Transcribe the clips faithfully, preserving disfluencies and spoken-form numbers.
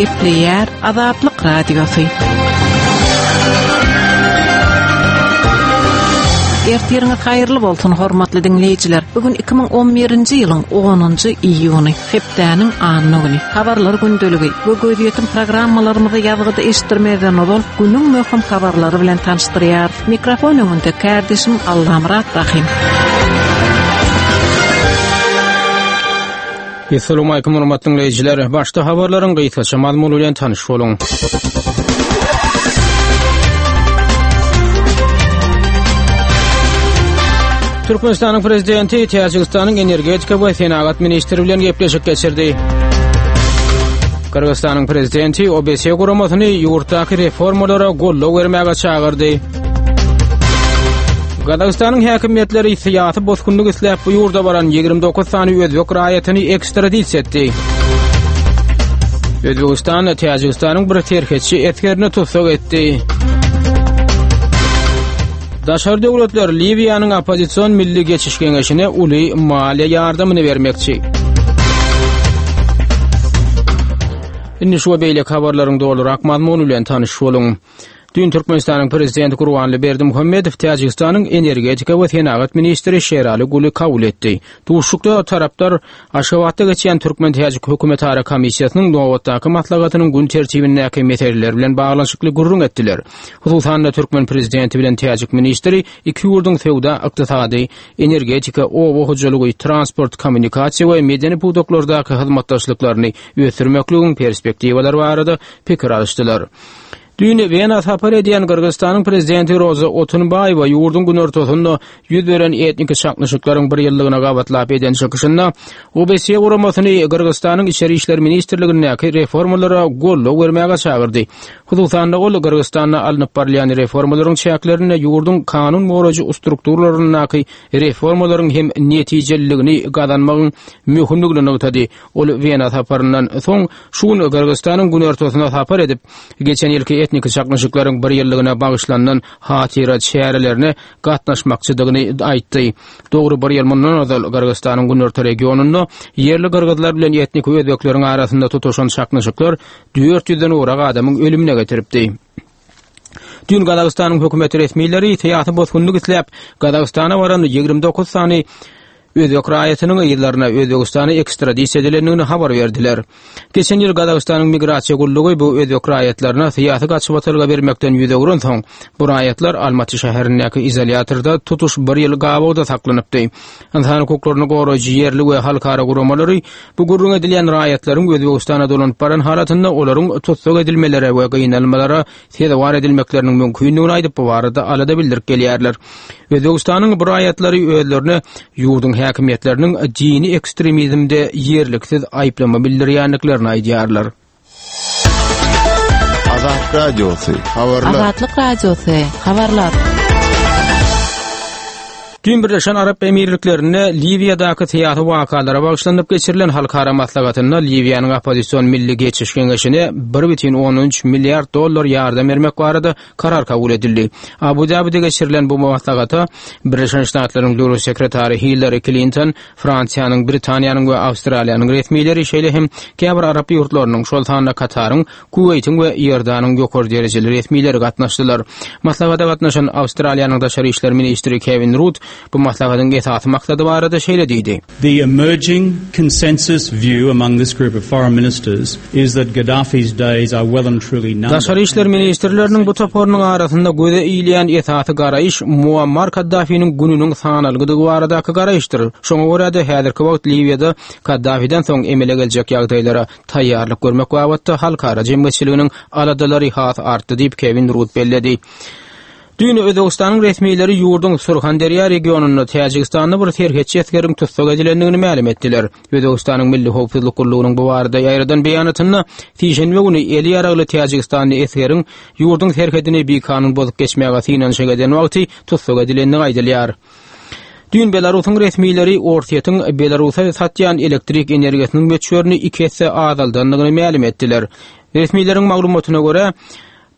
Gepleýär Azatlyk Radiosy. Ertiriňiz haýyrly bolsun hormatly diňleýjiler. Bugün iki müň on birinji ýylyň onunjy iýuny, hepdäniň anna güni. Habarlar gündeligi we gözýetim programmalarymyzy ýazgyda eşitdirmezden ozal günüň möhüm habarlary bilen tanyşdyrýar. Mikrofon öňünde kardeşim Allamyrat Rahim. Assalamu alaykum hormatly dinleýjiler. Başda habarlaryň gysgaça mazmuny bilen tanyş boluň. Türkmenistanyň prezidenti Täjigistanyň energetika we senagat ministri bilen gepleşik geçirdi. Gyrgyzystanyň prezidenti O B S guramasyny ýurtdaky reformalara goldaw bermäge çagyrdy. Gazagystanyň häkimiýetleri syýasy bosgunlyk isläp bu ýurda baran ýigrimi dokuz sany özbek raýatyny ekstradisiýa etdi. Özbegistan Täjigistanyň bir serhetçi esgerini tussag etdi. Daşary döwletler Liwiýanyň oppozision milli geçiş geňeşine uly maliýe ýardamyny bermekçi. Indi şu we beýleki habarlaryň dolurak mazmuny bilen tanyş boluň. Dün Türkmenistanyň prezidenti Gurbanguly Berdimuhamedow Täjigistanyň energetika we senagat ministri Şerali Guli kabul etdi. Duşuşykda taraplar Aşgabatda geçýän Türkmen-Täjik hökümetara komissiýasynyň nobatdaky maslahatynyň gün tertibindäki meseleler bilen baglanyşykly gürrüň etdiler. Hususan-da Türkmen prezidenti bilen Täjik ministri iki ýurduň söwda, ykdysady, energetika, oba hojalygy, transport, kommunikasiýa we medeni pudaklardaky hyzmatdaşlyklaryny ösdürmekligiň perspektiwalary barada pikir alyşdylar. Dün Wena sapar edýän Gyrgyzystanyň prezidenti Roza Otunbaýewa ýurduň günortasynda ýüz beren etnik çaknyşyklaryň bir ýyllygyna gabatlap eden çykyşynda O B S guramasyny Gyrgyzystanyň Içeri İşler Ministrligindäki reformalara goldaw bermäge çagyrdy. Hususan-da ol Gyrgyzystanda alnyp barylýan reformalaryň çäklerinde ýurduň kanun goraýjy strukturlaryndaky reformalaryň hem netijeliligini gazanmagyň möhümligini nygtady. Ol Wena saparyndan soň şu gün Gyrgyzystanyň günortasyna sapar edip, geçen ýylky etnik çaknyşyklaryň bir ýyllygyna bagyşlanan hatyra çärelerine gatnaşmakçydygyny aýtdy. Dogry bir ýyl mundan ozal Gyrgyzystanyň günorta regionynda ýerli gyrgyzlar bilen etnik özbekleriň arasynda tutuşan çaknyşyklar dört ýüzden gowrak adamyň ölümüne getiripdi. Dün Gazagystanyň hökümet resmileri syýasy bosgunlyk isläp Gazagystana baran ýigrimi dokuz sany özbek raýatynyň yzlaryna Özbegistana ekstradisiýa edilendigini habar berdiler. Geçen ýyl Gazagystanyň migrasiýa gullugy bu özbek raýatlaryna syýasy gaçybatalga bermekden ýüz öwren soň, bu raýatlar Almaty şäherindäki izolýatorda tutuş bir ýyl gabawda saklanypdy. Ynsan hukuklaryny goraýjy ýerli we halkara guramalary bu gürrüň edilýän raýatlaryň Özbegistana dolanyp baran halatynda olaryň tussag edilmelere we gynalmalara sezewar edilmekleriniň mümkindigini aýdyp bu barada alada bildirip gelýärler. Özbegistanyň bu raýatlary özlerine ýurduň häkimiýetleriniň dini ekstremizmde ýerliksiz aýyplama bildirýändiklerini aýdýarlar. Azatlyk Radiosy, habarlar. Azatlyk Radiosy, habarlar. Dün Birleşen Arap Emirliklerinde Liwiýadaky syýasy wakalara bagyşlanyp geçirilen halkara maslahatynda Liwiýanyň oppozision milli geçiş geňeşine bir bütin on üç milliard dollar ýardam bermek barada karar kabul edildi. Abu Dabide geçirilen bu maslahata Birleşen Ştatlaryň Döwlet sekretary Hillary Clinton, Fransiýanyň, Britaniýanyň we Awstraliýanyň resmileri, şeýle hem käbir Arap ýurtlarynyň, şol sanda Kataryň, Kuweýtiň we Iordanyň ýokary derejeli resmileri gatnaşdylar. Maslahata gatnaşan Awstraliýanyň Daşary İşler Ministri Kevin Rudd bu maslahatyň esasy maksady barada şeýle diýdi. The emerging consensus view among this group of foreign ministers is that Gaddafi's days are well and truly numbered. Daşary İşler Ministrleriniň bu toparynyň arasynda göze ilýän esasy garaýyş Muammar Gaddafiniň gününiň sanalgydygy baradaky garaýyşdyr. Şoňa görä de häzirki wagt Liwiýada Gaddafiden soň emele geljek ýagdaýlara taýýarlyk görmek babatda halkara jemgyýetçiliginiň aladalary has artdy diýip Kevin Rudd belledi. Dün Özbegistanyň resmileri ýurduň Surhanderýa regionynda Täjigistanda bir serhetçi esgeriň tussag edilendigini mälim etdiler. Özbegistanyň Milli Howpsuzlyk gullugynyň bu barada ýaýradan beýanatynda sişenbe güni eli ýaragly Täjigistanly esgeriň ýurduň serhedini bikanun bozup geçmäge synanyşyk eden wagty tussag edilendigi aýdylýar. Dün Belarusyň resmileri Orsýetiň Belarusa satýan elektrik energiýasynyň möçberini iki esse azaldandygyny mälim etdiler. Resmileriň maglumatyna görä,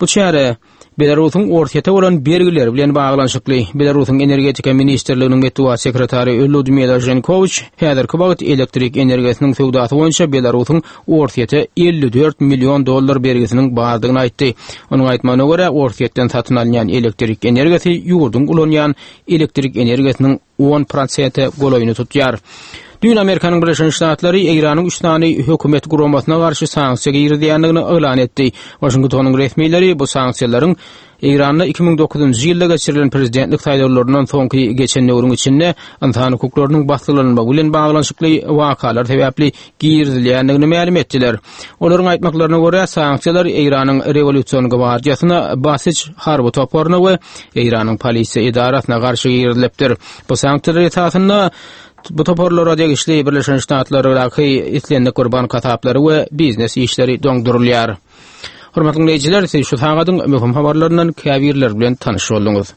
bu çäre Belarusyň Orsýete bolan bergileri bilen baglanyşykly. Belarusyň Energetika ministrliginiň metbugat sekretary Ludmila Ženkowiç häzirki wagt elektrik energiýasynyň söwdasy boýunça Belarusyň Orsýete elli dört million dollar bergisiniň bardygyny aýtdy. Onuň aýtmagyna görä, Orsýetden satyn alynýan elektrik energiýasy ýurduň ulanýan elektrik energiýasynyň on prosente golaýyny tutýar. Düýn Amerikanyň Birleşen Ştatlary Eýranyň üç sany hökümet guramasyna garşy sanksiýa girizýändigini yglan etdi. Waşingtonyň resmileri bu sanksiýalaryň Eýranda iki müň dokuzynjy ýylda geçirilen prezidentlik saýlawlaryndan soňky geçen döwrüň içinde ynsan hukuklarynyň basgylanmagy bilen baglanyşykly wakalar sebäpli girizilýändigini mälim etdiler. Olaryň aýtmaklaryna görä, sanksiýalar Eýranyň Rewolýusion gwardiýasyna, Basij harby toparyna we Eýranyň polisiýa edarasyna garşy girizilipdir. Bu sanksiýalar esasynda bu toparlara degişli Birleşen Ştatlardaky islendik bir bank hasaplary we biznes işleri doňdurylýar. Hormatly dinleýjiler, siz şu sagadyň möhüm habarlaryndan käbirleri bilen tanyş bolduňyz.